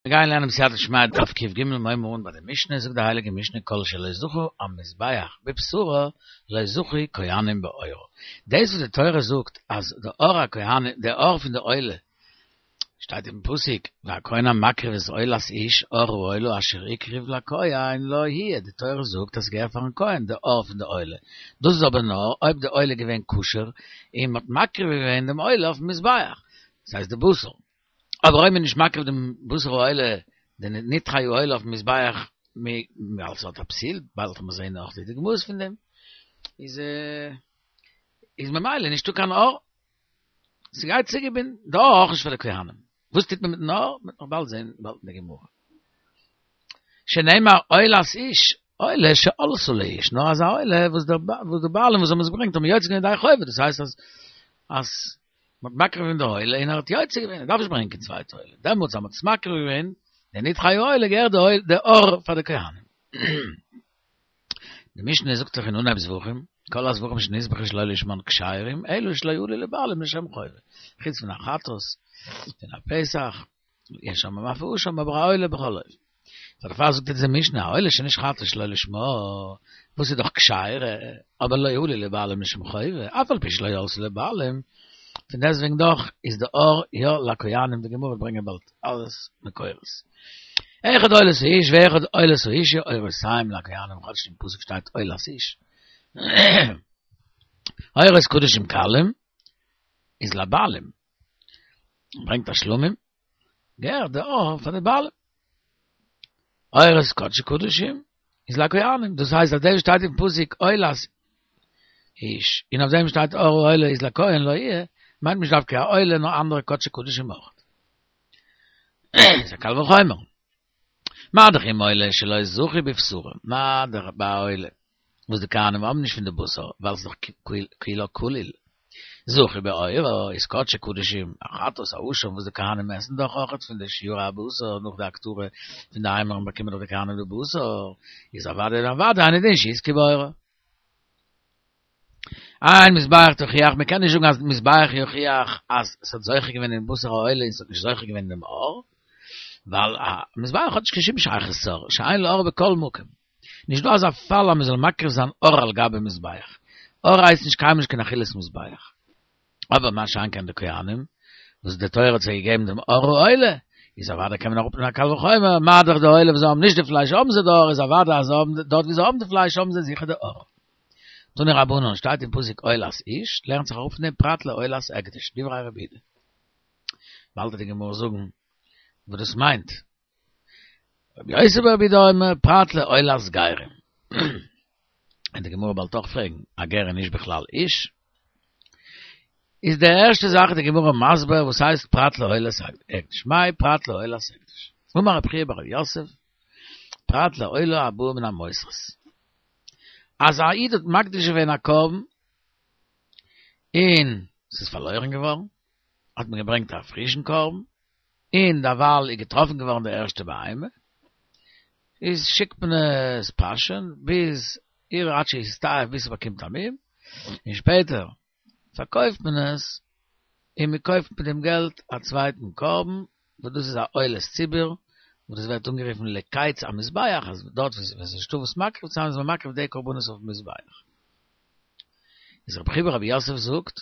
מיר גייען לערנען בסייעתא דשמיא דף קג מ'הייבן אן ביי די משנה, זאגט די הייליגע משנה כל שלא זכו המזבח בבשרו לא זכו כהנים בעורו, דאס וואס די תורה זאגט אז די עור הכהנים די עור פון די עולה שטייט אין פסוק והכהן המקריב את עולת איש עור העולה אשר הקריב לכהן לו יהיה, די תורה זאגט אז ס'געהערט פארן כהן די עור פון די עולה, דאס איז אבער נאר אויב די עולה איז געווען כשר און מ'האט מקריב געווען דעם עולה אויפן מזבח, דאס הייסט די בשר. אבער אויב מ'איז נישט מקריב דעם בשר העולה, די נתחי העולה אויפן מזבח, ווייל ס'האט א פסול, באלד וועט מען זעהן נאך די דוגמאות פון דעם, איז איז ממילא נישטא קיין עור, ס'גייט צוגעבינדן, די עור אויך נישט פאר די כהנים, וואס טוט מען מיטן עור? מ'וועט נאך באלד זעהן באלד אין די גמרא. שנאמר עולת איש, עולה שעלתה לאיש, נאר אזא עולה וואס די בעלים וואס האבן עס געברענגט האבן יוצא געווען ידי חובה, דאס הייסט אז אז מ'האט מקריב געווען די עולה און ער האט יוצא געווען, ער דארף נישט ברענגען קיין צווייטע עולה, דעמאלטס אז מ'האט עס מקריב געווען, די נתחי העולה געהערט די עור פאר די כהנים. די משנה זאגט דאך אין אנהייב זבחים, כל הזבחים שנזבחו שלא לשמן כשרים, אלא שלא עלו לבעלים לשם חובה, חוץ פון א חטאת, פון א פסח, יש אומרים אף האשם אבער א עולה בכל אופן. דערפאר זאגט אונזער משנה א עולה שנשחטה שלא לשמה, וואס איז דאך כשרה, אבער לא עלו לבעלים לשם חובה, אף על פי שלא עלתה לבעלים, פון דעסטוועגן דאך איז די עור יא לכהנים, די גמרא וועט ברענגען באלד אלעס מקורות. אחד עולת האיש ואחד עולת האשה עורותיהם לכהנים, כאטש אין פסוק שטייט עולת איש. עורות קדשים קלים איז לבעלים. ברענגט א שלמים, געהערט די עור פאר די בעלים. עורות קדשי קדשים איז לכהנים, דאס הייסט אז דעם שטייט אין פסוק עולת איש, און אויף דעם שטייט עור העולה איז לכהן לו יהיה, מיינט נישט דווקא א עולה נאר אנדערע קדשי קדשים אויך. איז א קל וחומר. מה דאך אם עולה שלא זכו בבשרה, מה דאך ביי א עולה וואס די כהנים האבן נישט פון די בשר ווייל ס'איז דאך כולה כליל, זכו בעורה איז קדשי קדשים, א חטאת א אשם וואס די כהנים עסן דאך אויכעט פון די שיורי הבשר נאך די הקטרה פון די אימורים באקומען דאך די כהנים די בשר, איז אוודאי און אוודאי אינו דין שיזכו בעורה. אין מזבח תוכיח, מען קען נישט זאגן אז מזבח יוכיח אז ס'האט זוכה געווען אין בשר העולה און ס'האט נישט זוכה געווען אין דעם עור, ווייל א מזבח האט נישט קיין שום שייכות צו עור, שאין לעור בכל מקום. נישט דא אזא פאל אז מען זאל מקריב זיין עור על גבי מזבח. עור הייסט נישט קיינמאל נישט קיין אכילת מזבח. אבער מה שאין כן די כהנים, וואס די תורה האט זיי געגעבן דעם עור העולה, איז אוודאי קען מען אראפנעמען א קל וחומר, מה דאך די עולה וואס זיי האבן נישט די פלייש האבן זיי די עור, איז אוודאי אז זיי האבן, דארט ווי זיי האבן די פלייש האבן זיי זיכער די עור. תנו רבנן, שטייט אין פסוק עולת איש, לערנט זיך אראפ פון דעם פרט לעולת הקדש, דברי רבי יהודה. באלד וועט די גמרא זאגן וואס דאס מיינט. רבי יוסי ברבי יהודה אומר פרט לעולת גרים. און די גמרא באלד אויך פרעגן, א גר איז נישט בכלל איש? איז די ערשטע זאך די גמרא מסביר וואס הייסט פרט לעולת הקדש, מאי פרט לעולת הקדש? אמר רב חייא בר יוסף, פרט לעולה הבאה מן המותרות. אז א איד האט מקדיש געווען א קרבן און ס'איז פארלוירן געווארן, האט מען געברענגט א פרישן קרבן, און דערווייל איז געטראפן געווארן די ערשטע בהמה, איז שיקט מען עס פאשען ביז ירעה עד שיסתאב ביז ס'באקומט א מום, און שפעטער פארקויפט מען עס, און מען קויפט מיט דעם געלט א צווייטן קרבן, וואס דאס איז א עולת ציבור, וואס דאס ווערט אנגערופן לקיץ המזבח, אז דארט וואו עס איז נישטא וואס מקריב צו זיין איז מען מקריב די קרבנות אויפן מזבח. איז רבי חייא ברבי יוסף זאגט,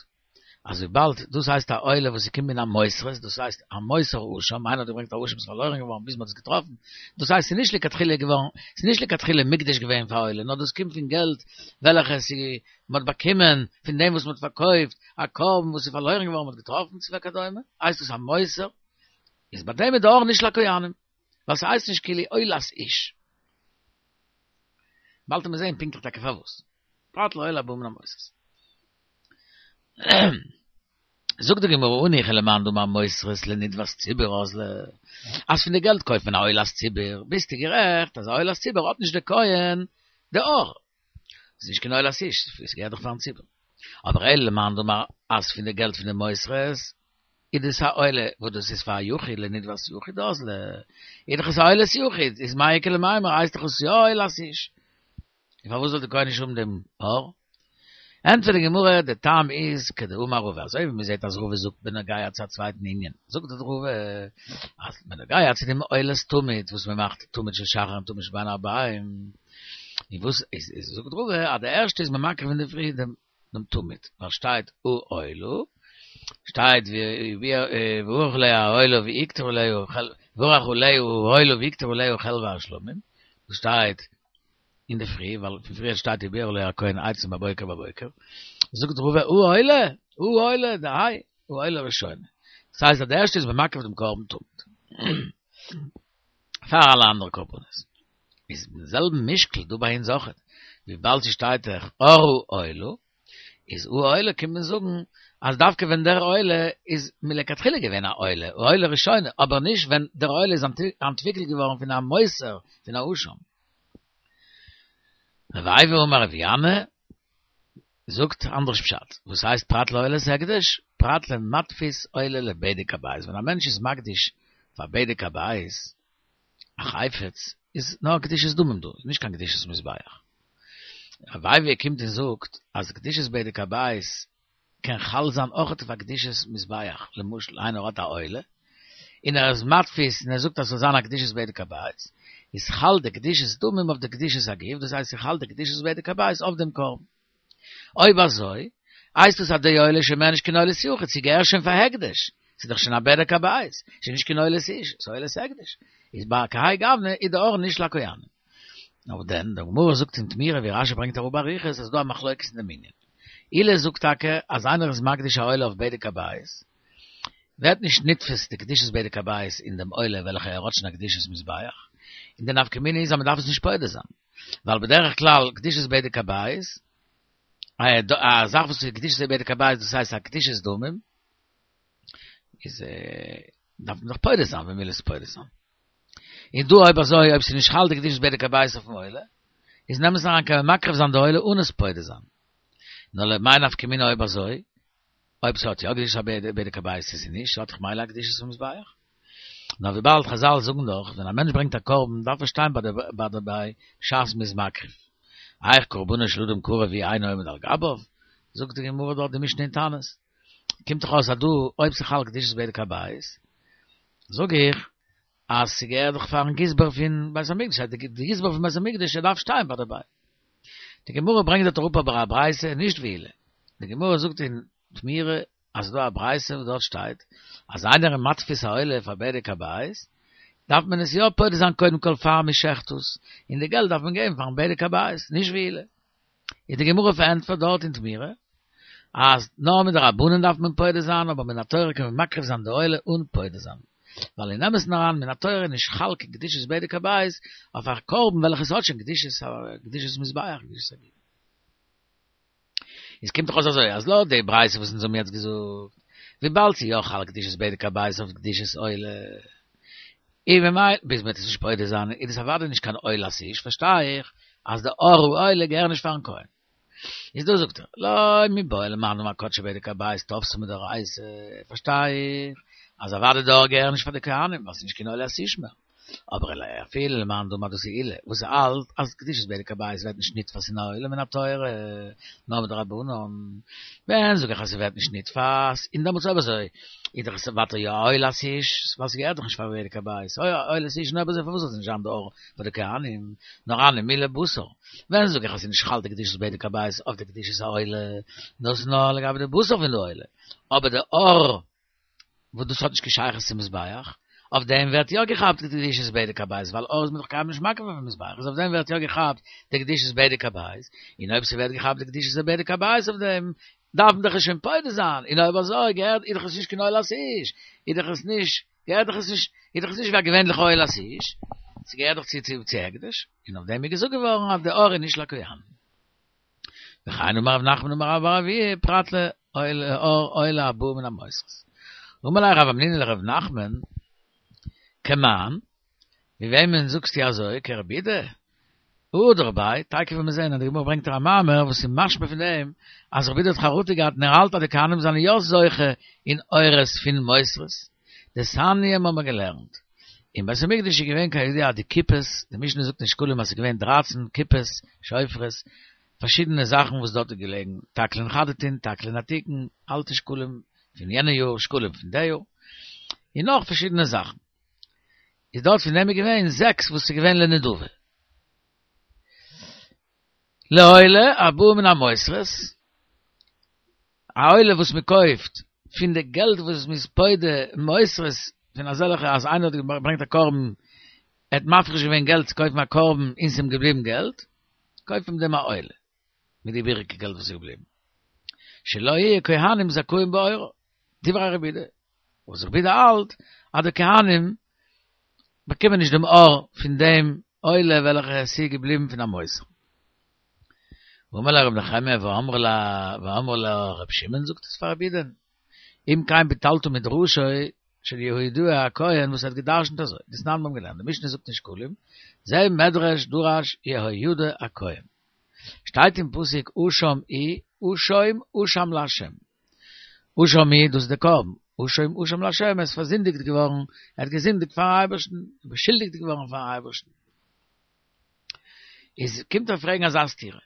אז וויבאלד דאס הייסט א עולה וואס איז קומט מן המותרות, דאס הייסט א מותר אשם, איינער האט געברענגט א אשם איז פארלוירן געווארן ביז מען האט עס געטראפן, דאס הייסט ס'איז נישט לכתחילה געווארן, ס'איז נישט לכתחילה מוקדש געווען פאר עולה, נאר דאס קומט פון געלט וועלכע ס'איז מען האט באקומען פון דעם וואס מען האט פארקויפט א קרבן וואס איז פארלוירן געווארן מען האט געטראפן צו וכדומה, הייסט דאס א מותר, איז ביי דעם איז די עור נישט לכהנים, ווייל ס'הייסט נישט כאילו עולת איש. באלד וועט מען זעהן פונקטליך טאקע פארוואס. פרט לעולה הבאה מן המותרות. זאגט די גמרא הניחא למאן דאמר מותרות לנדבת ציבור אזלא, אז פון די געלט קויפט מען א עולת ציבור, ביסטו גערעכט אז א עולת ציבור האט נישט די כהן די עור, ס'איז נישט קיין עולת איש, ס'געהערט דאך פארן ציבור. אבער אלא למאן דאמר אז פון די געלט פון די מותרות איז דאס א עולה וואס דאס איז פאר א יחיד לנדבת יחיד אזלא, איז דאך עס א עולת יחיד, איז מאי איכא למימר הייסט דאך עס יא עולת איש. און פארוואס זאל די כהן נישט האבן דעם עור? ענטפערט די גמרא, די טעם איז כדאמר רבא, אזוי ווי מען זעט אז רבא זאגט בנוגע צו א צווייטן ענין, זאגט דארט רבא אז בנוגע צו דעם עולת תמיד וואס מען מאכט תמיד של שחר און תמיד של בין הערביים, און וואס איז איז זאגט רבא אז די ערשטע איז מען מקריב אינדערפרי דעם דעם תמיד, ווייל שטייט העולה, שטייט וערך עליה העולה והקטיר עליה וערך עליה העולה והקטיר עליה חלבי השלמים, דאס שטייט אינדערפרי, ווייל פון פריער שטייט ובער עליה הכהן עצים בבוקר בבוקר, זאגט רבא העולה, העולה, דהאי, העולה ראשונה. דאס הייסט אז די ערשטע איז מען מקריב דעם קרבן תמיד. פאר אלע אנדערע קרבנות. איז מיטן זעלבן משקל דא ביי אונז אויכעט, וויבאלד ס'שטייט דאך עור העולה, איז העולה קומט מען זאגן אז דווקא ווען דער עולה איז מלכתחילה געווען א עולה, העולה ראשונה, אבער נישט ווען דער עולה איז אנטוויקלט געווארן פון א מותר, פון א אשם. רב אייבו אמר רב ינאי זאגט אנדערש פשט, וואס הייסט פרט לעולת הקדש? פרט למתפיס עולה לבדק הבית, ווען א מענטש איז מקדיש פאר בדק הבית א חפץ, איז נאר קדושת דמים דא, נישט קיין קדושת מזבח. רב אייבו קומט און זאגט אז קדושת בדק הבית קען חל זיין אויכעט אויף א קדושת מזבח, למשל איינער האט א עולה, און ער איז מתפיס און ער זאגט אז ס'זאל זיין א קדושת בדק הבית, איז חל די קדושת דמים אויף די קדושת הגוף, דאס הייסט ס'חל די קדושת בדק הבית אויף דעם קרבן. אויב אזוי, הייסט עס אז די עולה איז שוין מער נישט קיין עולת יחיד, ס'געהער שוין פאר הקדש, ס'איז דאך שוין א בדק הבית, ס'איז נישט קיין עולת איש, ס'איז עולת הקדש, איז ביי כהאי גוונא איז די עור נישט לכהנים. נאר דען, די גמרא זאגט אין תמורה ווי רשי ברענגט אראפ באריכות אז ס'דא א מחלוקת אין דעם ענין. עולא זאגט טאקע אז איינער איז מקדיש א עולה אויף בדק הבית, ווערט נישט נתפס די קדושת בדק הבית אין דעם עולה וועלכע ער האט שוין א קדושת מזבח, און די נפקא מינה איז אז מען דארף עס נישט פודה זיין, ווייל בדרך כלל קדושת בדק הבית, א זאך וואס איז קדושת בדק הבית דאס הייסט א קדושת דמים, איז דארף מען דאך פודה זיין ווען מ'וויל עס פודה זיין. און דא אויב אזוי אויב ס'איז נישט חל די קדושת בדק הבית אויפן עולה, איז אין אמת'ן אריין קען מען מקריב זיין די עולה אן עס פודה זיין. נאר למאי נפקא מינה אויב אזוי, אויב ס'האט יא קדושת בדק הבית צו ס'איז נישט, ס'האט דאך ממילא א קדושת המזבח. נאר וויבאלד חזל זאגן דאך, ווען א מענטש ברענגט א קרבן דארף ער שטיין ביי די ביי בשעת מ'איז מקריב. היאך קרבנו של אדם קרב והוא אינו עומד על גביו, זאגט די גמרא דארט די משנה אין תענית. קומט דאך אויס אז דא אויב ס'חל קדושת בדק הבית, זאג איך אז ס'געהערט דאך פארן גזבר פון בית המקדש, אז די גזבר פון בית המקדש ער דארף שטיין ביי דערביי. די גמרא ברענגט דארט אראפ אבער א ברייתא נישט ווי עולא. די גמרא זאגט אין תמורה אז ס'דא א ברייתא וואס דארט שטייט אז איינער איז מתפיס א עולה פאר בדק הבית, דארף מען עס יא פודה זיין קודם כל פאר מ'שעכט עס, און די געלט דארף מען געבן פארן בדק הבית, נישט ווי עולא. איז די גמרא פארענטפערט דארט אין תמורה אז נאר מדרבנן דארף מען פודה זיין אבער מן התורה קען מען מקריב זיין די עולה אן פודה זיין ווייל אין אמת'ן אריין מן התורה איז נישט חל קיין קדושת בדק הבית אויף א קרבן וועלכעס האט שוין קדושת קדושת מזבח קדושת הגוף. איז קומט דאך אויס אזוי אז לויט די ברייתא וואס אונז האבן יעצט געזאגט וויבאלד ס'איז יא חל קדושת בדק הבית אויף קדושת עולה און ממילא ביז מ'וועט עס נישט פודה זיין איז דאס אוודאי נישט קיין עולת איש, פארשטיי איך אז די עור העולה געהער נישט פארן כהן. איז דא זאגט ער, לא מיבעיא למאן דאמר קדשי בדק הבית תפסי מדאורייתא, פארשטיי איך אז אוודאי די עור געהער נישט פאר די כהנים ווייל ס'איז נישט קיין עולת איש מער. אבער אלא אפילו למאן דאמר דאס איז עולא, וואס האלט אז קדושת בדק הבית ווערט נישט נתפס אין א עולה מן התורה, נאר מדרבנן, ווען זאג איך אז ס'ווערט נישט נתפס, און דעמאלטס אויב אזוי איז דאך עס ווייטער יא א עולת איש, ווייל ס'געהערט דאך נישט פאר בדק הבית, אוי א עולת איש, און אויב אזוי פארוואס זאל עס נישט זיין די עור פאר די כהנים, נאר הני מילי בשר, ווען זאג איך אז ס'איז נישט חל די קדושת בדק הבית אויף די קדושת העולה, דאס איז נאר לגבי די בשר פון די עולה, אבער די עור וואס דאס האט נישט קיין שייכות צום מזבח, אויף דעם ווערט יא געכאפט די קדושת בדק הבית, ווייל עור איז מען דאך קיינמאל נישט מקריב אויפן מזבח, איז אויף דעם ווערט יא געכאפט די קדושת בדק הבית, און אויב ס'ווערט געכאפט די קדושת בדק הבית אויף דעם, דארף מען דאך עס שוין פודה זיין, און אויב אזוי געהערט איז דאך עס נישט קיין עולת איש, איז דאך עס נישט, געהערט דאך עס נישט, איז דאך עס נישט ווי א געווענליכע עולת איש, ס'געהערט דאך צו צו הקדש, און אויף דעם איז געזאגט געווארן אז די עור איז נישט לכהנים. וכן אמר רב נחמן אמר רבה בר אבוה פרט לעור עולה הבאה מן המותרות. אמר ליה רב המנונא לרב נחמן, כמאן, ווי וועמען זאגסטו אזוי, כרבי יהודה? הדר ביה, תיכף וועט מען זען אז די גמרא ברענגט א מאמר וואס איז משמע פון דעם אז רבי יהודה האט חרטה געהאט און ער האלט אז די כהנים זענען יא זוכה אין עורות פון מותרות. דתניא האבן מיר געלערנט. אין בית המקדש איז געווען כידוע די קופות, די משנה זאגט אין שקלים אז ס'איז געווען דרייצן קופות שופרות. פארשידענע זאכן וואס דארט איז געלעגן, תקלין חדתין, תקלין עתיקין, אלטע שקלים פון יענע יאר, שקלים פון די יאר, און נאך פארשידענע זאכן. איז דארט פון דעם איז געווען זעקס וואס איז געווען לנדבה. לעולה הבאה מן המותרות, א עולה וואס מען קויפט פון די געלט וואס מען איז פודה מותרות פון אזעלכע אז איינער האט געברענגט א קרבן, ער האט מפריש געווען געלט צו קויפן א קרבן און ס'איז אים געבליבן געלט, קויפט מען מיט דעם א עולה, מיט די איבעריגע געלט וואס איז געבליבן. שלא יהיו כהנים זכאים בעורה, דברי רבי יהודה, וואס רבי יהודה האלט אז די כהנים באקומען נישט דעם עור פון דעם עולה וועלכע עס איז געבליבן פון א מותר. ואמר ליה רבי נחמיה ואמרי לה ואמרי לה רבי שמעון זאגט עס פאר רבי יהודה'ן אם כן ביטלת מדרשו של יהוידע הכהן וואס האט געדרשנט אזוי דתנן מיר האבן געלערנט די משנה זאגט אין שקלים זה מדרש דרש יהוידע הכהן שטייט אין פסוק אשם הוא אשום אשם לה' אשם הוא דאס איז די קרבן, אשום אשם לה' ער איז פארזינדיגט געווארן, ער האט געזינדיגט פארן אייבערשטן, באשולדיגט געווארן פארן אייבערשטן. איז קומט ער פרעגן אזא סתירה,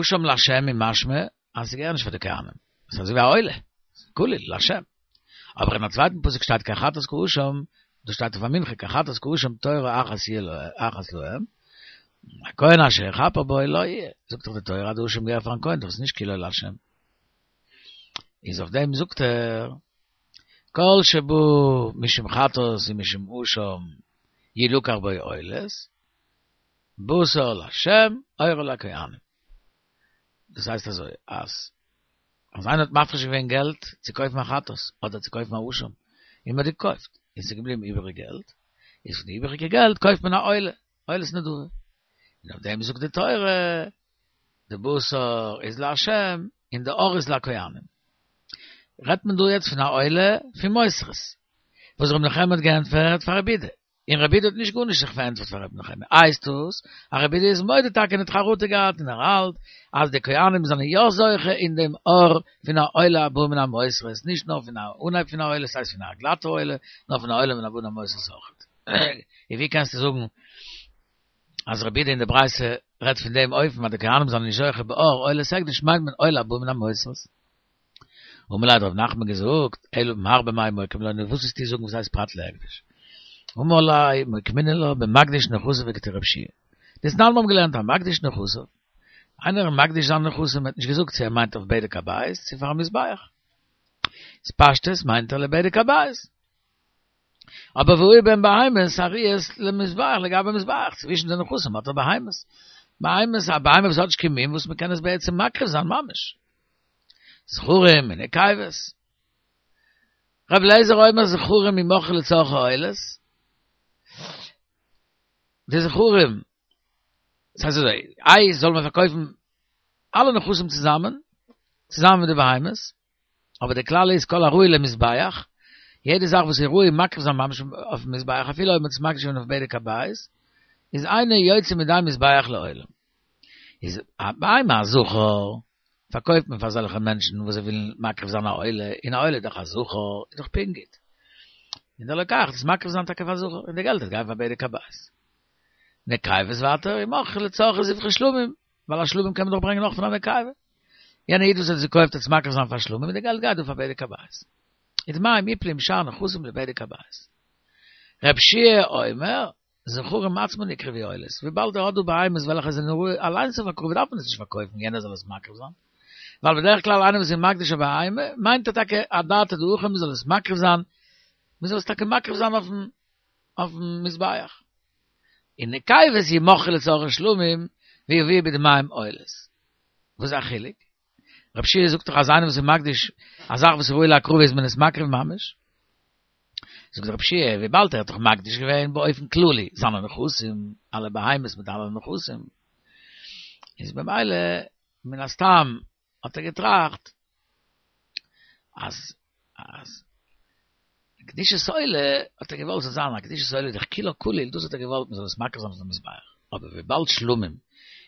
אשם לה' איז משמע אז ס'געהער נישט פאר די כהנים, ס'איז אזוי ווי א עולה, כליל לה'. אבער אין א צווייטן פסוק שטייט כי חטאת כאשם, דאס שטייט אויף א מנחה, כי חטאת כאשם תורה אחת יהיה אחת להם, הכהן אשר יכפר בו לו יהיה, זאגט דאך די תורה אז די אשם געהער פארן כהן, דאך איז נישט כולו לה'. איז אויף דעם זאגט ער, כל שבא משום חטאת ומשום אשם ילקח בו עולות, בשר לה' עורו לכהנים. דאס הייסט אזוי, אז אז איינער האט מפריש געווען געלט צו קויפן א חטאת, אדער צו קויפן א אשם, און מען האט געקויפט, און ס'איז געבליבן איבעריג געלט, איז פון די איבעריגע געלט קויפט מען א עולה, עולת נדבה. און אויף דעם זאגט די תורה, די בשר איז לה' און די עור איז לכהנים. רעדט מען דא יעצט פון א עולה פון מותרות, וואס ר' נחמיה האט געענטפערט פאר רבי יהודה, און רבי יהודה האט נישט גארנישט זיך פארענטפערט פאר רבי נחמיה, הייסט דאס אז רבי יהודה איז מודה טאקע און האט חרטה געהאט און ער האלט אז די כהנים זענען יא זוכה אין דעם עור פון א עולה הבאה מן המותרות, נישט נאר פון א אנהייב פון א עולה, ס'הייסט פון א גלאטע עולה, נאר פון א עולה מן הבאה מן המותרות אויכעט. און ווי קענסטו זאגן אז רבי יהודה אין די ברייתא רעדט פון דעם אופן אז די כהנים זענען נישט זוכה בעור עולת הקדש מיינט מען עולה הבאה מן המותרות. אמר ליה האט רב נחמן געזאגט, אלא מר במאי מוקים לה, נו וואס וועסטו זאגן וואס הייסט פרט להקדש? אמר ליה מוקמינן לה במקדיש נכסיו כדרבי יהושע. דתנן מיר האבן געלערנט המקדיש נכסיו, איינער איז מקדיש זיינע נכסים האט נישט געזאגט צו ער מיינט אויף בדק הבית צו פארן מזבח. איז פשטות מיינט ער לבדק הבית. אבער והיו בהן בהמות הראויות למזבח לגבי מזבח, צווישן די נכסים האט ער בהמות, בהמות, א בהמה וואס האט נישט קיין מום וואס מען קען עס בעצם מקריב זיין ממש. זכרים און נקבות. רבי אליעזר אומר זכרים ימכרו לצרכי עולות. די זכרים, ס'הייסט אזוי, איי זאל מען פארקויפן אלע נכסים צוזאמען, צוזאמען מיט די בהמות, אבער די כלל איז כל הראוי למזבח, יעדע זאך וואס איז ראוי מקריב זיין ממש אויפן מזבח אפילו אויב מ'האט עס מקדיש געווען אויף בדק הבית, איז אינו יוצא מידי מזבח לעולם. איז א בהמה א זכר, פארקויפט מען פאר אזעלכע מענטשן וואס זיי ווילן מקריב זיין א עולה, און א עולה איז דאך א זכר, איז דאך פונקט גוט. און דער לוקח וועט עס מקריב זיין טאקע פאר זכר, און די געלט וועט גיין פאר בדק הבית. נקבות ווייטער, ימכרו לצרכי זבחי שלמים, ווייל א שלמים קען מען דאך ברענגען נאך פון א נקבה. יענער איד וואס האט עס געקויפט וועט עס מקריב זיין פאר שלמים און די געלט גייט דא פאר בדק הבית. ודמיהם יפלו עם שאר נכסים לבדק הבית. רב שיע אומר, זכרים עצמן יקרבו עולות, וויבאלד ער האט דא בהמות וועלכע זענען ראוי אליינס אויף הקרבה דארף מען עס נישט פארקויפן יענער זאל עס מקריב זיין, ווייל בדרך כלל איינער וואס איז מקדיש א בהמה מיינט ער טאקע אדעתא דהכי מען זאל עס מקריב זיין, מען זאל עס טאקע מקריב זיין אויפן אויפן מזבח. און נקבות ימכרו לצרכי שלמים ויביאו בדמיהם עולות. וואס איז א חילוק? רב שיע זאגט דאך אז איינער וואס איז מקדיש א זאך וואס איז ראוי להקרבה איז מען עס מקריב ממש. זאגט רב שיע, וויבאלד ער האט דאך מקדיש געווען באופן כללי זיינע נכסים, אלע בהמות מיט אלע נכסים, איז במילא מן הסתם האט ער געטראכט אז אז קדושת עולה האט ער געוואלט ס'זאל זיין א קדושת עולה דאך כולה כליל דאס האט ער געוואלט מ'זאל עס מקריב זיין אויפן מזבח, אבער וויבאלד שלמים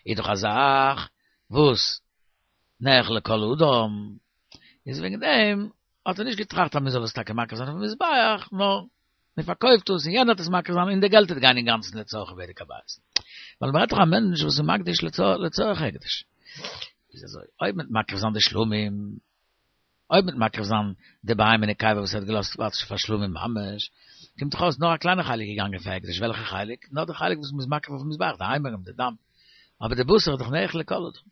איז דאך א זאך וואס נאכל לכל אדם, איז וועגן דעם האט ער נישט געטראכט אז מ'זאל עס טאקע מקריב זיין אויפן מזבח, נאר מ'פארקויפט עס און יענער וועט עס מקריב זיין און די געלט וועט גיין אינגאנצן לצרכי בדק הבית. ווייל מ'רעדט דאך א מענטש וואס איז מקדיש לצורך הקדש. איז אזוי, אויב מ'וועט מקריב זיין די שלמים, אויב מ'וועט מקריב זיין די בהמה נקבה וואס ער האט געלאזט פאר שלמים ממש, קומט דאך אויס נאר א קליינע חלק געגאנגען פאר הקדש, וועלכע חלק? נאר די חלק וואס מ'איז מקריב אויפן מזבח, די אימורים, די דם. אבער די בשר איז דאך נאכל לכל אדם.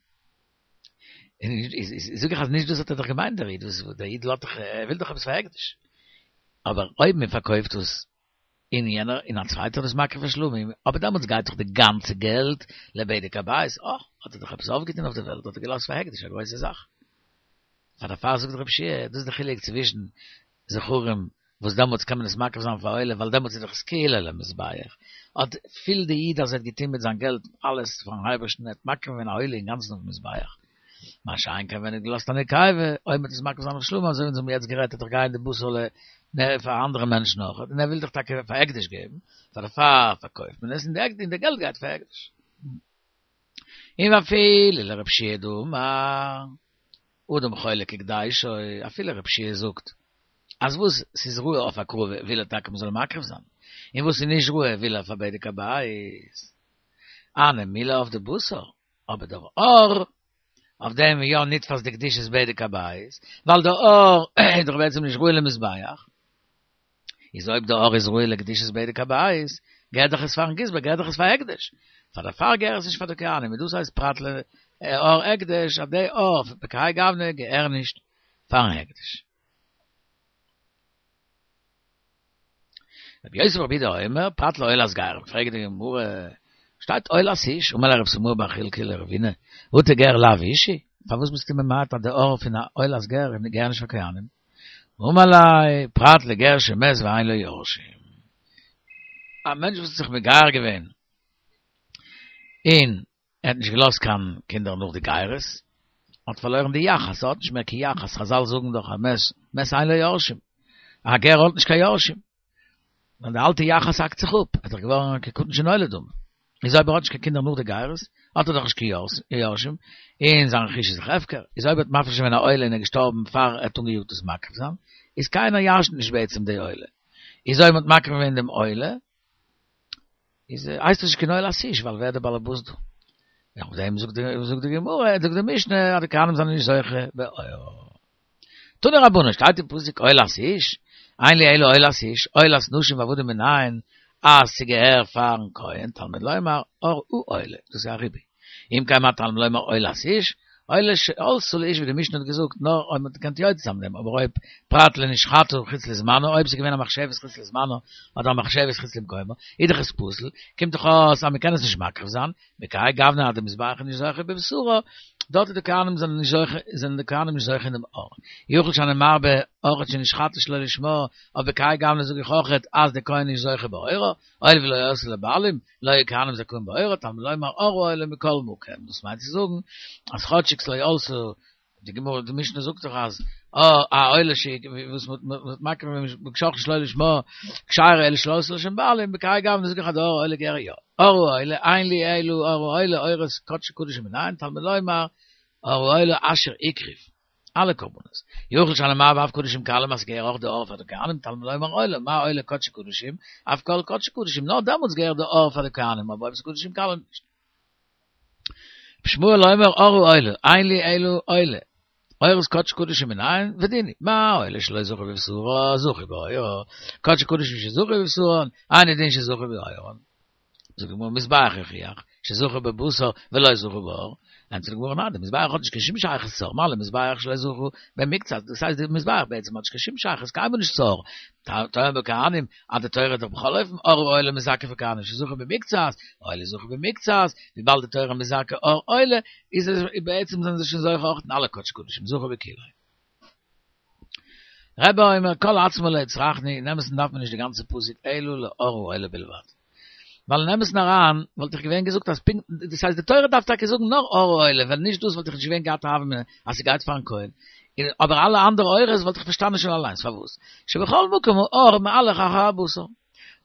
איז זאג איך אז נישט דאס האט ער דאך געמיינט דער איד, וואס דער איד לאזט דאך, ער וויל דאך עפעס פאר הקדש. אבער אויב מען פארקויפט עס און יענער און א צווייטער איז מקריב פאר שלמים, אבער דעמאלטס גייט דאך די גאנצע געלט לבדק הבית, אה, האט ער דאך עפעס אויפגעטון אויף די וועלט, האט ער געלאזט פאר הקדש א גרויסע זאך. פאר דערפאר זאגט רב שיע, דאס איז די חילוק צווישן זכרים וואס דעמאלטס קען מען עס מקריב זיין פאר עולה ווייל דעמאלטס איז דאך עס כאילו למזבח, האט פילט די איד אז ער האט געטון מיט זיין געלט אלעס פארן אייבערשטן, ער האט מקריב געווען א עולה אינגאנצן אויפן מזבח. מה שאין כן ווען ער האט געלאזט א נקבה, אויב מ'וועט עס מקריב זיין אויף שלמים, אזוי ווי אונז האבן יעצט גערעדט, וועט דאך גיין די בשר ל נ פאר אנדערע מענטשן אויך, און ער וויל דאך טאקע פאר הקדש געבן, פאר דערפאר פארקויפט מען עס, און די געלט גייט פאר הקדש. און ואפילו לרב שיע דאמר, אדם חולק הקדשו, אפילו רב שיע זאגט, אז וואס ס'איז ראוי אויף הקרבה וויל ער טאקע מ'זאל מקריב זיין, און וואס ס'איז נישט ראוי וויל ער פאר בדק הבית. הני מילי אויף די בשר, אבער דער עור, אויף דעם איז יא נתפס די קדושת בדק הבית, ווייל דער עור איז דאך בעצם נישט ראוי למזבח, איז אויב דער עור איז ראוי לקדושת בדק הבית, געהערט דאך עס פארן גזבר, געהערט דאך עס פאר הקדש, פאר דערפאר געהער עס נישט פאר די כהנים, און דאס הייסט פרט לעור הקדש, אז די עור בכהאי גוונא געהער נישט פארן הקדש. רבי יוסי ברבי יהודה אומר, פרט לעולת גרים, פרעגט די גמרא, שטייט עולת איש, אמר ליה רב סמואי בר חלקיה לרבינא, אטו גר לאו איש הוא? פארוואס ביסטו ממעט אז די עור פון א עולת גר געהער נישט פאר כהנים? אמר ליה, פרט לגר שמת ואין לו יורשים. א מענטש וואס האט זיך מגייר געווען און ער האט נישט געלאזט קיין קינדער נאך די גירות, האט פארלוירן די יחס, ער האט נישט מער קיין יחס, חזל זאגן דאך א מת, מת אין לו יורשים, א גר האט נישט קיין יורשים, און די אלטע יחס האקט זיך אפ, ער איז דאך געווארן כקטן שנולד דמי, איז אויב ער האט נישט קיין קינדער נאך די גירות, האט ער דאך נישט קיין יורשים, און זיין רכוש איז דאך הפקר, איז אויב ער האט מפריש געווען א עולה און ער איז געשטארבן פאר ער האט אנגעיאגט עס מקריב זיין, איז קיינער ירש'נט נישט בעצם די עולה, איז אויב מען האט מקריב געווען דעם עולה, איז הייסט עס נישט קיין עולת איש ווייל ווער דער בעל הבית דא? אויף דעם זאגט די זאגט די גמרא זאגט די משנה אז די כהנים זענען נישט זוכה בעורו. תנו רבנן שטייט אין פסוק עולת איש, אין לי אלא עולת איש, עולת נשים ועבדים מנין אז ס'געהער פארן כהן תלמוד לומר עור העולה, דאס איז א ריבוי. אם כן מה תלמוד לומר עולת איש, עולה שעלתה לאיש ווי די משנה האט געזאגט נאר אויב מען האט געקענט יוצא זיין מיט דעם, אבער אויב פרט לנשחטה חוץ לזמנו, אויב ס'איז געווען א מחשבת חוץ לזמנו אדער א מחשבת חוץ למקומו, איז דאך עס פסול, קומט דאך אויס אז מען קען עס נישט מקריב זיין, בכהאי גוונא אז די מזבח איז נישט זוכה בבשרו, דארט איז די כהנים זענען נישט זוכה, זענען די כהנים נישט זוכה אין דעם עור. יכול שאני מרבה אויכעט שנשחטה שלא לשמה, אויף בכהאי גוונא זאג איך אויכעט אז די כהן איז נישט זוכה בעורו, הואיל ולא עלתה לבעלים, לא יהו כהנים זכאים בעורה, תלמוד לומר עור העולה מכל מקום, דאס מיינט צו זאגן אז כאטשיג ס'לא עלתה, די גמרא די משנה זאגט דאך אז א עולה ש וואס מ'האט מקריב געווען שחטה שלא לשמה כשרה אלא שלא עלתה לשם בעלים, בכהאי גוונא זאג איך אז די עור העולה געהער יא. עור העולה, אין לי אלא עור העולה, עורות קדשי קדשים מנין, תלמוד לומר עור העולה אשר הקריב. אלע קרבנות. יכול שאני מרבה אף קדשים קלים אז ס'געהער אויך די עור פאר די כהנים, תלמוד לומר עולה, מה עולה קדשי קדשים, אף כל קדשי קדשים, נאר דעמאלטס געהער די עור פאר די כהנים, אבער אויב ס'איז קדשים קלים נישט. רבי ישמעאל אומר עור העולה, אין לי אלא עולה. עורות קדשי קדשים מנין, ודין הוא, מה עולה שלא זכו בבשרה, זכו בעורה, קדשי קדשים שזכו בבשרן, אינו דין שזכו בעורן. זאגט די גמרא מזבח יוכיח שזכה בבשר ולא זכה בעור, ענטפערט די גמרא ניין, די מזבח האט נישט קיין שום שייכות צו עור, מה למזבח שלא זכו במקצת, דאס הייסט די מזבח בעצם האט נישט קיין שום שייכות קיינמאל נישט צו עור, תאמר בכהנים אז די תורה איז דאך בכל אופן עור העולה מזכה פאר כהנים שזכה במקצת, עולה זכה במקצת, וויבאלד די תורה מזכה עור עולה, איז עס בעצם זענען זיי שוין זוכה אויך אין אלע קדשי קדשים, זכה בכולו. רבי אומר כל עצמו לא הצרכני, אין אמת'ן דארף מען נישט די גאנצע פסוק אלא לעור העולה בלבד. ווייל אין אמת'ן אריין וואלט איך געווען געזאגט אז פונקט, דאס הייסט די תורה דארף טאקע זאגן נאר עור העולה, ווען נישט דאס וואלט איך נישט געווען געהאט א הוה אמינא אז ס'גייט פארן כהן, אבער אלע אנדערע עורות וואלט איך פארשטאנען שוין אליינס פארוואס שבכל מקום העור מהלך אחר הבשר.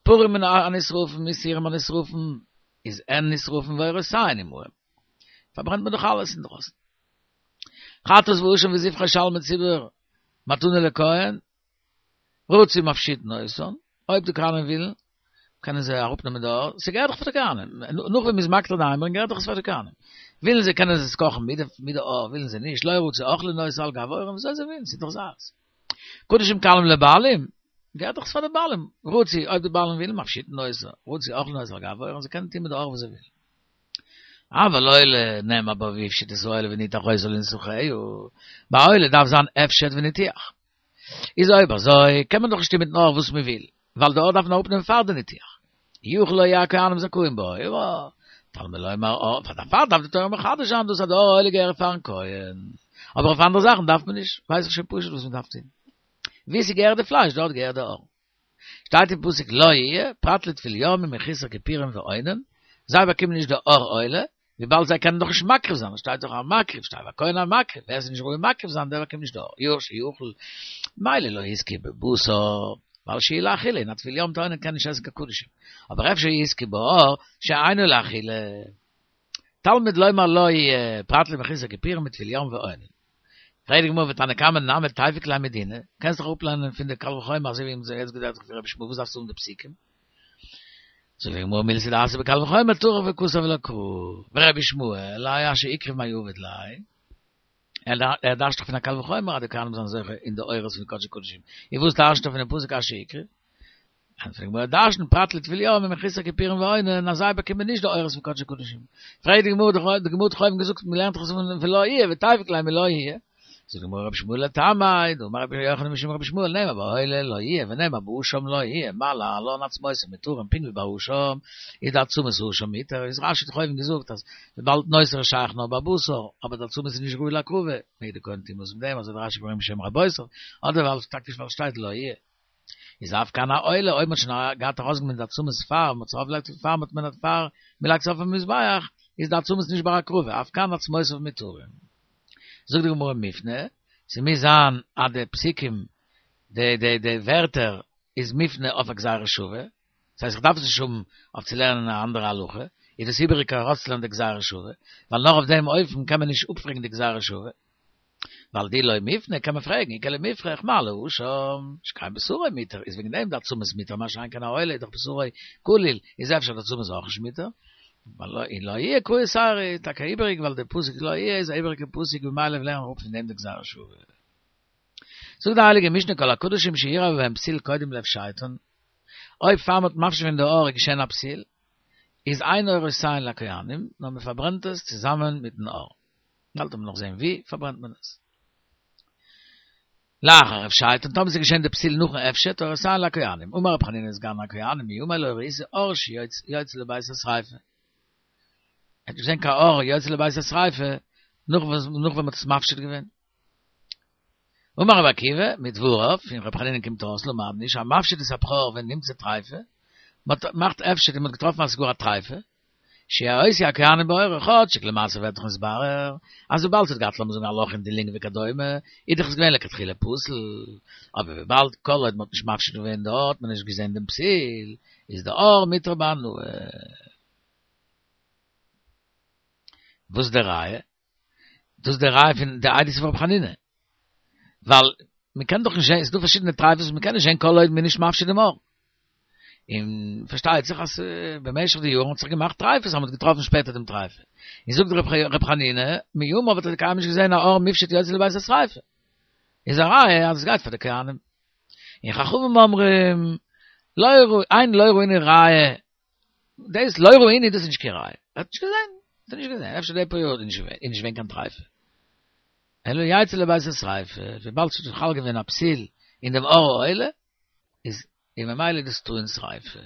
פרים הנשרפים ושעירים הנשרפים איז הן נשרפים ועורותיהן עמהם. פארברענט מען דאך אלעס אינדרויסן. חטאת ואשם וזבחי שלמי ציבור מתנה לכהן, רצו מפשיטין אותן, אויב די כהנים ווילן, קענען זיי אראפנעמען די עור, ס'געהערט דאך פאר די כהנים, נאך ווען מ'איז מקטיר די אימורין געהערט דאך עס פאר די כהנים, ווילן זיי קענען זיי עס קאכן מיט די עור, ווילן זיי נישט, לא רצו אוכלין אותו על גב העורין, וויאזוי זיי ווילן, ס'איז דאך זייערס. קדשים קלים לבעלים, געהערט דאך עס פאר די בעלים, רצו, אויב די בעלים ווילן, מפשיטין אותו, רצו אוכלין אותו על גב העורין, זיי קענען טון מיט די עור וואס זיי ווילן. אבל עולה נאמר בה והפשיט את העולה וניתח אותה לנתחיה, ביי עולה דארף זיין הפשט וניתוח. איז אויב אזוי קען מען דאך נישט טון מיטן עור וואס מען וויל, ווייל די עור דארף מען אראפנעמען פאר די ניתוח. יכול לא יהו הכהנים זכאים בעורה, תלמוד לומר עור, פאר דערפאר דארף די תורה מחדש זיין דאס אז די עור העולה געהערט פארן כהן. אבער אויף אנדערע זאכן דארף מען נישט, ווייס איך שוין פשוט וואס מען דארף טון. וואו ס'געהערט די פלייש דארט געהערט די עור. שטייט אין פסוק לא יהיה, פרט לטבול יום ומחוסר כפורים ואונן, זיי באקומען נישט די עור עולה, וויבאלד זיי קענען דאך נישט מקריב זיין, עס שטייט דאך המקריב, שטייט והכהן המקריב, ווער עס איז נישט ראוי מקריב זיין דער באקומט נישט די עור, יאר שיאכל, מילא לא יזכה בבשר, ווייל שהוא לאכילה, און א טבול יום מיט אונן קען נישט עסן קיין קדשים, אבער אפשר יזכה בעור שאינו לאכילה. תלמוד לומר לא יהיה, פרט למחוסר כפורים וטבול יום ואונן. פרעגט די גמרא ותנא קמא נמי תיפוק ליה מדינא, קענסט דאך אפלערנען פון די קל וחומר אזוי ווי אונז האבן יעצט געזעהט פון רבי ישמעאל וואס דארפסטו האבן די פסוקים? זאגט די גמרא מילתא דאתיא בקל וחומר טרח וכתב לה קרא, ורבי ישמעאל האי אשר הקריב מאי עביד ליה, ער דרש'ט דאך פון א קל וחומר אז די כהנים זענען זוכה אין די עורות פון קדשי קדשים, און וואס דרש'נט ער פונעם פסוק אשר הקריב? ענטפערט די גמרא דרש'נט פרט לטבול יום ומחוסר כיפורים ואונן אז זיי באקומען נישט די עורות פון קדשי קדשים. פרעגט די גמרא די גמרא האט דאך אויבן געזאגט מען לערנט דאך עס פון ולא יהיה ותיפוק ליה מלא יהיה. זאגט די גמרא רבי ישמעאל לטעמיה דאמר רבי יוחנן משום רבי ישמעאל נאמר בעולה לא יהיה ונאמר באשם לא יהיה מה להלן עצמותיו מותרים פונקט ווי ביי אשם איז די עצמות האשם מותר איז רש"י האט דאך אויבן געזאגט אז וויבאלד נותר איז שייך נאר ביי בשר אבער די עצמות איז נישט ראוי להקרבה מעג די כהן טון וואס מיט דעם אזוי האט רש"י געברענגט בשם רבותיו אדער ווייל טאקע ווייל שטייט לא יהיה. איז אף כאן העולה, אויב מ'האט שוין געהאט ארויסגענומען די עצמות פאר מ'האט עס ארויפגעלייגט פאר מ'האט מען פאר מ'לייגט עס אויפן מזבח, איז די עצמות נישט בר הקרבה, אף כאן עצמותיו מותרים. זאגט די גמרא מופנה, ס'מוז זיין אז די פסוקים, די די די ווערטער איז מופנה אויף א גזירה שווה, דאס הייסט איך דארף עס נישט האבן אויף צו לערנען א אנדערע הלכה, איז דאס איבעריג ארויסצולערנען די גזירה שווה, ווייל נאר אויף דעם אופן קען מען נישט אפפרעגן די גזירה שווה. ווייל דאי לא מופנה קען מען פרעגן איכא למיפרך מה לאשם שכן בשרו מותר איז וועגן דעם די עצמות מותר מה שאין כן העולה איז דאך בשרו כליל איז אפשר די עצמות אויך נישט מותר ווייל לא און לא יהיה קרא איז טאקע איבעריג ווייל די פסוק לא יהיה איז א איבעריגע פסוק ממילא לערנען מיר אפ פון דעם די גזירה שוה. זאגט די הייליגע משנה כל הקדשים שאירע בהם פסיל קודם להפשטן אויב פאר מ'האט מפשיט געווען די עור איז געשען א פסיל איז אין עורותיהן לכהנים נאר מ'פארברענט עס צוזאמען מיטן עור. באלד וועט מען נאך זען ווי פארברענט מען עס. לאחר הפשטן, טאמער ס'איז געשען די פסיל נאכן הפשט, עורותיהן לכהנים. אמר רבי חנינא סגן הכהנים מימי לא ראיתי עור שיוצא לבית השריפה. ער האט נישט געזען קיין עור יוצא לבית השריפה נאך ווען מ'האט עס מפשיט געווען. אמר רבי עקיבא, מדבריו, פון רבי חנינא קומט אויס למדנו שהמפשיט את הבכור ונמצא טריפה, מ'האט געמאכט הפשט און מ'האט געטראפן אז ס'איז גאר א טריפה, שיעשו הכהנים בעורו, כאטשיג למעשה ווערט דאך נתברר אז וויבאלד ס'האט געהאט לאמיר זאגן א לאך אין די לונג וכדומה, איז דאך עס געווען לכתחילה פסול, אבער וויבאלד כל עוד מ'האט נישט מפשיט געווען דארט האט מען נישט געזען דעם פסיל, איז די עור מותר בהנאה. וואס איז די ראיה? דאס איז די ראיה פון די עדות פון רבי חנינא. ווייל מען קען דאך נישט זען, ס'איז דא פארשידענע טרייפות וואס מען קען נישט זען כל עוד מען איז נישט מפשיט דעם עור. און פארשטייט זיך אז במשך די יארן האט זיך געמאכט טרייפות אז מען האט געטראפן שפעטער דעם טרייפה. און זאגט רבי חנינא, מימיו האט ער קיינמאל נישט געזען א עור מופשט יוצא לבית השריפה. איז א ראיה אז עס גייט פאר די כהנים. און חכמים אומרים, לא ראו, אין לא ראינו ראיה דאס לא ראינו דאס איז נישט קיין ראיה. ער האט נישט געזען. ער האט נישט געזען. אפשר די פאר יאר איז נישט געווען, איז נישט געווען קיין טרייפה. אלא יצא לבית השריפה, וויבאלד ס'איז חל געווען א פסיל אין דעם עור העולה, איז און ממילא איז דאס טעון שריפה.